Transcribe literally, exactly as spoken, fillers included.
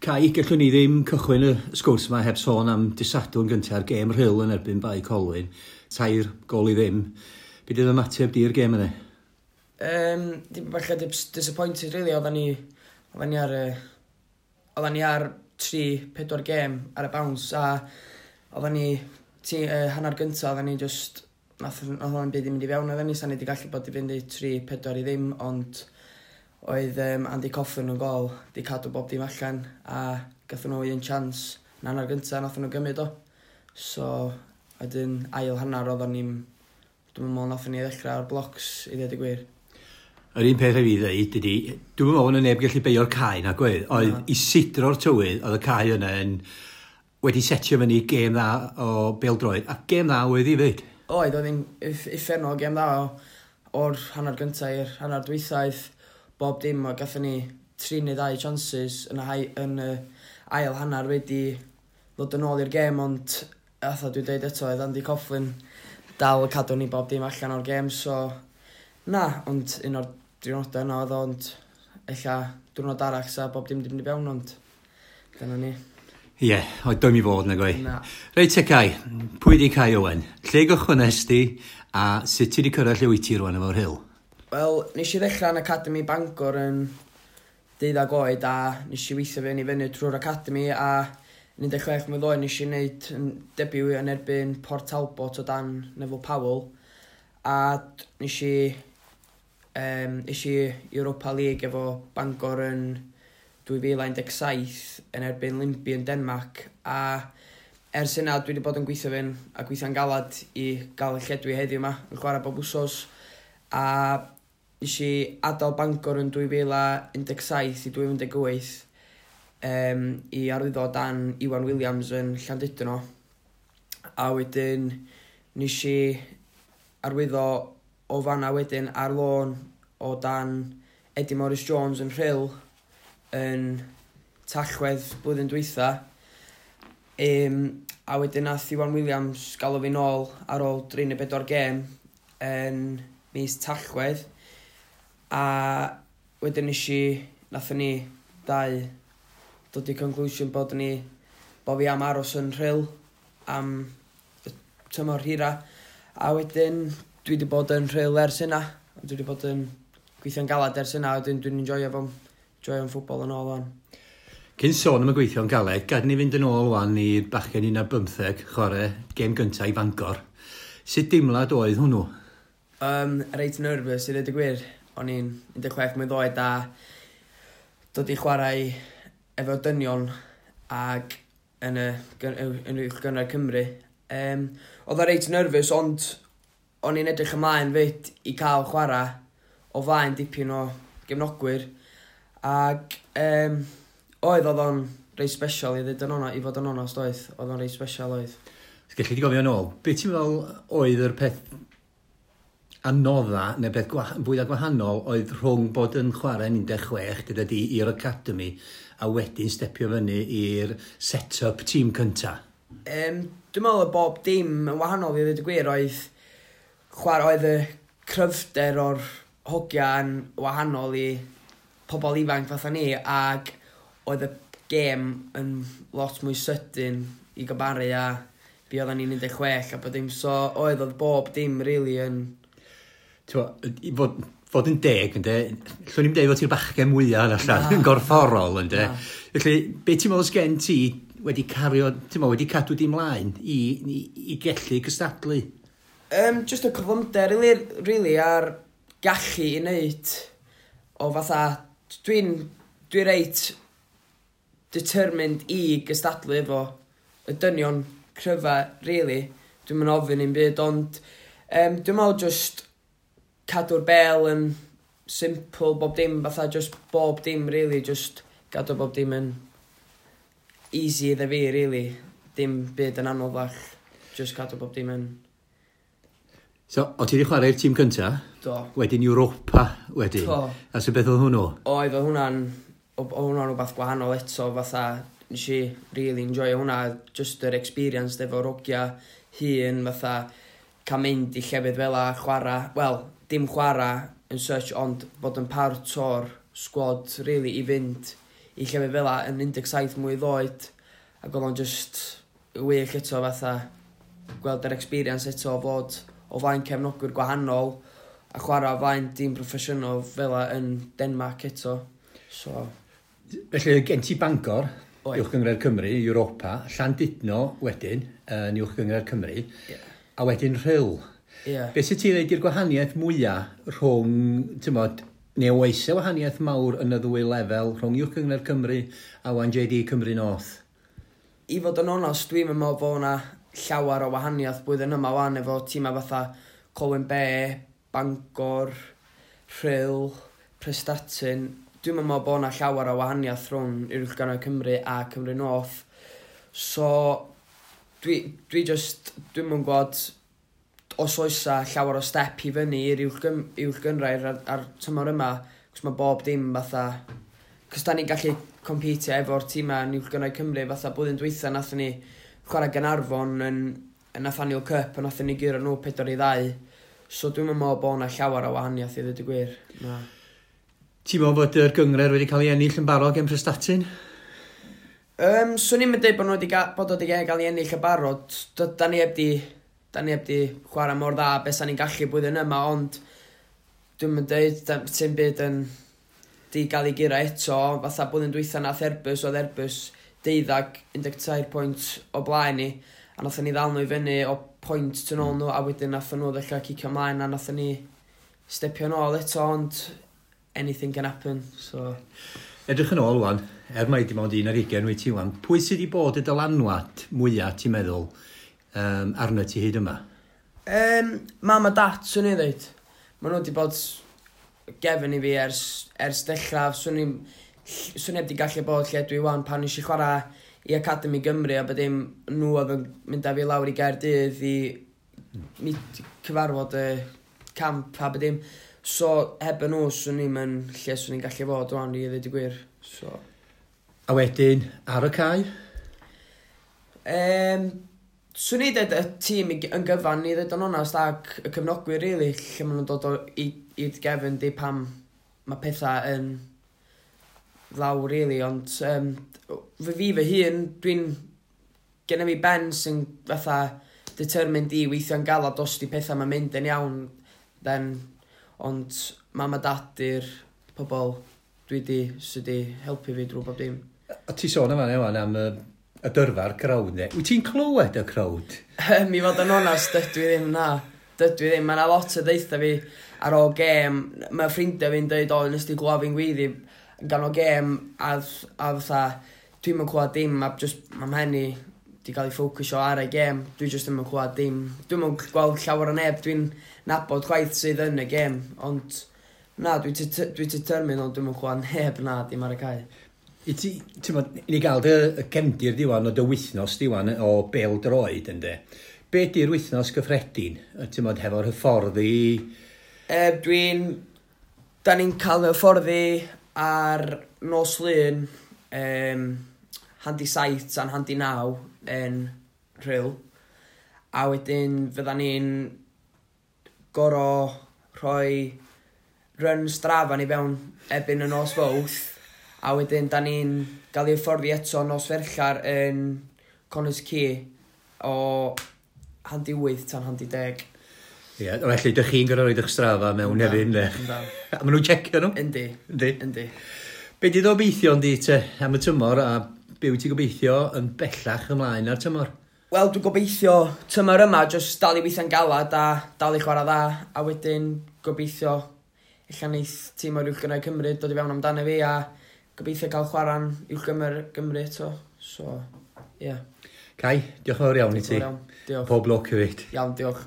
Cai, gallwn ni ddim cychwyn y sgwrs yma heb sôn am dydd Sadwrn gynta'r gêm Rhyl yn erbyn Bae Colwyn. Tair gol i ddim. Be 'di'r ymateb di i'r gêm yna? Um, dim bach disappointed, really. Oedden ni, oedden ni ar, oedden ni ar tri, pedwar gêm ar y bounce a oedden ni, ti, uh, hanner gyntaf, oedden ni just, nath, nath o'n byd i mynd i fewn, oedden ni, sa'n ni wedi gallu bod i fynd i tri, pedwar i ddim, ond oedd um, Andy Coughlin yn gol, di cadw bob dim allan, a gathon nhw un chance yn hanner gyntaf, nath nhw gymryd o. So, wedyn ail hanner oedden ni'n, dwi'n meddwl nathon ni ddechrau ar blocs i ddweud y gwir. Yr un peth i fi ddweud ydy, dwi'n meddwl bod neb gallu beio'r cae na gwedd, oedd i sidro'r tywydd, oedd y cae yna yn wedi setio fyny gêm dda o bêl-droed, a gêm dda oedd i fyd. Oedd, oedd hi'n uffernol gêm dda o, o'r hanner gyntaf i'r hanner dwythaeth, bob dim, o gathon ni tri neu ddau chances yn y, hai, yn y ail hanner wedi ddod yn ôl i'r gêm, ond atha dwi'n dweud eto, oedd Andy Coughlin dal cadw ni bob dim allan o'r gêm, so na, ond un o'r diwrnodau yna oedd o, ond ella diwrnod arall sa bob dim di mynd i fewn, ond dyna ni. Ie, yeah, oedd doedd i fod na gwe. Na. Reit te Cai, pwy di Cai Owen? Lle gychwynnes di a sut ti di cyrraedd lle wyt ti rwan efo'r Rhyl? Wel, nes i ddechrau yn Academy Bangor yn deuddag oed a nes i weithio fyny fyny trwy'r Academy a yn un deg chwech mlwydd oed nes i wneud yn debut yn erbyn Port Talbot o dan Neville Powell a nes i um, nes i Europa League efo Bangor yn dwy fil un deg saith yn erbyn Lyngby yn Denmark, a ers hynna dwi wedi bod yn gweithio fy'n a gweithio'n galad i gael y lle dwi heddiw yma yn chwarae bob wsos. A nes i adael Bangor yn dwy fil un deg saith i dwy fil un deg wyth um, i arwyddo dan Iwan Williams yn Llandudno, a wedyn nes i arwyddo o fanna wedyn ar lôn o dan Eddie Morris Jones yn Rhyl yn Tachwedd blwyddyn dwytha. Um, a wedyn nath Iwan Williams galw fi nôl ar ôl dri neu bedwar gêm yn mis Tachwedd. A wedyn nes i, nathon ni dau dod i conclusion bod ni, bod fi am aros yn Rhyl am y tymor hira. A wedyn dwi wedi bod yn Rhyl ers hynna. Dwi wedi bod yn gweithio'n galad ers hynna, wedyn dwi'n enjoyo fo'n enjoyo'n ffwbol yn ôl wan. Cyn sôn am y gweithio'n galed, gad ni fynd yn ôl wan i'r bachgen un ar bymtheg, chwarae gêm gyntaf i Fangor. Sut dimlad oedd hwnnw? Um, reit nervous i ddweud y gwir. O'n i'n un deg chwech mlwydd oed a dod i chwarae efo dynion ag yn y, yn y Uwch Gynghrair Cymru. Um, oedd o reit nervous, ond o'n i'n edrych ymlaen fyd i cael chwarae o flaen dipyn o gefnogwyr. Ac um, oedd oedd o'n reit special i ddweud yn ona, i fod yn onast oedd. Oedd o'n reit special oedd. Gelli di gofio yn ôl, be ti'n meddwl oedd yr peth anodda neu beth gwah fwyaf gwahanol oedd rhwng bod yn chwarae yn un deg chwech gyda di i'r academy a wedyn stepio fyny i'r set-up tîm cynta? Um, dwi'n meddwl bob dim yn wahanol i ddweud y gwir. Oedd chwarae, oedd y cryfder o'r hogia yn wahanol i pobl ifanc fatha ni, ac oedd y gêm yn lot mwy sydyn i gymharu a be oedden ni'n un deg chwech a bod dim, so oedd oedd bob dim really yn T'mo, i fod, fod yn deg, ynde, llwn i'n deud fod ti'r bachgen mwyaf yn allan, yn gorfforol, ynde. Na. Felly, be ti'n meddwl sgen ti wedi cario, ti'n meddwl, wedi cadw di mlaen i, i, i gellu cystadlu? Um, just y cyflymder, really, really, a'r gallu i wneud o fatha, dwi'n dwi reit determined i gystadlu efo y dynion cryfa, really. Dwi'n mynd ofyn i'n byd, ond um, dwi'n meddwl just cadw'r bel yn simple, bob dim, fatha just bob dim, really, just gadw bob dim yn easy iddo fi, really. Dim byd yn anoddach, just cadw bob dim yn. So, o ti wedi chwarae'r tîm cynta, Do. wedyn Europa wedyn. Do. A so beth oedd hwnnw? Oedd, oedd hwnna'n, oedd hwnna'n rhywbeth gwahanol eto, fatha, nes i really enjoy hwnna, just yr experience efo'r hogia hŷn, fatha, cael mynd i llefydd fel a chwarae, wel, dim chwarae yn such, ond bod yn part o'r squad, really, i fynd i llefydd fel yn un deg saith mlwydd oed, ac oedd o'n just wych eto fatha gweld yr experience eto o fod o flaen cefnogwyr gwahanol a chwarae o flaen dîm proffesiynol fel yn Denmark eto. So... Felly gen ti Bangor, Uwch Gynghrair Cymru, Europa, Llandudno wedyn, yn Uwch Gynghrair Cymru, yeah. a wedyn Rhyl. Yeah. Be sydd ti'n dweud i'r gwahaniaeth mwyaf rhwng, ti'n bod, neu oes e wahaniaeth mawr yn y ddwy lefel rhwng Uwch Gynghrair Cymru a one J D Cymru North? I fod yn onest, dwi'n meddwl bod yna llawer o wahaniaeth blwyddyn yma wan efo tîmau fatha Colwyn Bay, Bangor, Rhyl, Prestatyn. Dwi'n meddwl bod yna llawer o wahaniaeth rhwng Uwch Gynghrair Cymru a Cymru North. So, dwi, dwi just, dwi'n mynd gwybod os oes llawer o step i fyny i'r Uwch Gynghrair ar, ar tymor yma, cos mae bob dim fatha... Cos da ni'n gallu competio efo'r tîmau yn Uwch Gynghrair Cymru, fatha blwyddyn dwytha nathon ni chwarae Gaernarfon yn, yn Nathaniel Cup, a nathon ni guro nhw pedwar i ddau. So dwi'n meddwl bod yna llawer o wahaniaeth i ddweud y gwir. Na. Ti'n meddwl bod yr gynghrair wedi cael ei ennill yn barod gen Prestatyn? Um, swn i'n dweud bod nhw wedi bod wedi cael ei ennill yn barod. Da ni heb di, da ni heb di chwarae mor dda beth sa'n ni'n gallu blwyddyn yma, ond dwi'n mynd dweud, ti'n byd yn di gael ei guro eto. Fatha blwyddyn dwytha nath Airbus, oedd Airbus deuddag, un deg tair pwynt o blaen ni, a nathon ni ddal nhw i fyny o pwynt tu nôl nhw, a wedyn nathon nhw ddechrau cicio ymlaen, a nathon ni stepio nôl eto, ond anything can happen, so... Edrych yn ôl wan, er mai dim ond un ar hugain wyt ti wan, pwy sydd wedi bod y dylanwad mwyaf, ti'n meddwl, um, arno ti hyd yma? Um, mam a dad, swn i'n dweud. Maen nhw wedi bod gefn i fi ers, ers dechrau, swn i'n swn i wedi gallu bod lle dwi wan pan nes i chwarae i Academy Gymru a bod dim nhw oedd yn mynd â fi lawr i Gaerdydd i mi cyfarfod y camp a bod dim. So heb y nhw swn i'n mynd lle swn i'n gallu fod wan i ddweud y gwir. So. A wedyn ar y cae? Um, swn i'n dweud y tîm yn gyfan i ddweud yn onast ac y cefnogwyr really, lle maen nhw'n dod o i'r gefn di pam mae pethau yn lawr really, ond um, fy fi fy hun, dwi'n genna fi ben sy'n fatha determined i weithio'n galad os di pethau ma'n mynd yn iawn, then, ond mam a dad i'r pobol dwi di, sydd di helpu fi drwy bob dim. A ti sôn yma wan am y, y dyrfa'r crowd, ne? Wyt ti'n clywed y crowd? Mi fod yn onast, dydw i ddim, na. Dydw i ddim. Mae yna lot o ddeitha fi ar ôl gêm. Mae ffrindiau fi'n dweud, o, nes di glywed fi'n gweiddi gan o gêm, a, a fatha, dwi'n mynd clywed dim, a just, mae mhen i di gael ei ffocysio ar y gêm, dwi just ddim yn clywed dim. Dwi'n mynd gweld llawer o neb, dwi'n nabod chwaith sydd yn y gêm, ond na, dwi'n dwi determined, ond dwi'n mynd clywed neb na, dim ar y cae. I ti, ti'n bod, i ni gael dy cefndir diwan o dy wythnos diwan o bêl-droed, yndê. Be di'r wythnos gyffredin, ti'n bod, hefo'r hyfforddi? E, dwi'n, da ni'n cael hyfforddi ar nos Lun, um, handi saith a'n handi naw yn Rhyl. A wedyn fydda ni'n goro rhoi run Strava ni fewn erbyn y nos Fawrth. A wedyn da ni'n gael ei hyfforddi eto nos Ferchar yn Connah's Quay o handi wyth tan handi deg. Ie, yeah, felly dych chi'n gorfod rhoid eich Strava mewn hefyd, yndê? A maen nhw'n checio nhw? Yndi. Yndi. Yndi. Be di gobeithio yndi te am y tymor a be wyt ti'n gobeithio yn bellach ymlaen ar tymor? Wel, dwi'n gobeithio tymor yma, jyst dal i weithio'n galad a dal i chwarae dda, a wedyn gobeithio ella neith tîm o'r Uwch Gynghrair Cymru dod i fewn amdano fi a gobeithio cael chwarae'n Uwch Gynghrair Gymru eto. So, ie. Yeah. Cai, diolch yn fawr iawn i ti. Diolch. Pob lwc hefyd. Iawn, diolch.